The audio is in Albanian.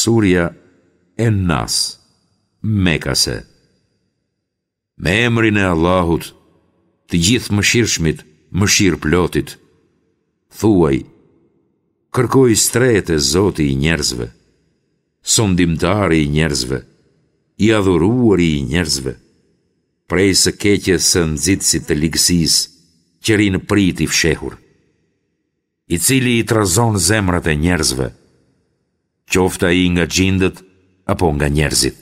Surja En-Nas, Mekase. Me emrin e Allahut, të Gjithëmëshirshmit, mëshirëplotit. Thuaj, kërkoj strehë te Zoti i njerëzve, sundimtari i njerëzve, i adhuruari i njerëzve, prej së keqes së nxitësit të ligësisë, që rri në pritë i fshehur, i cili i trazon zemrat e njerëzve, qoftë ai nga xhindët apo nga njerëzit.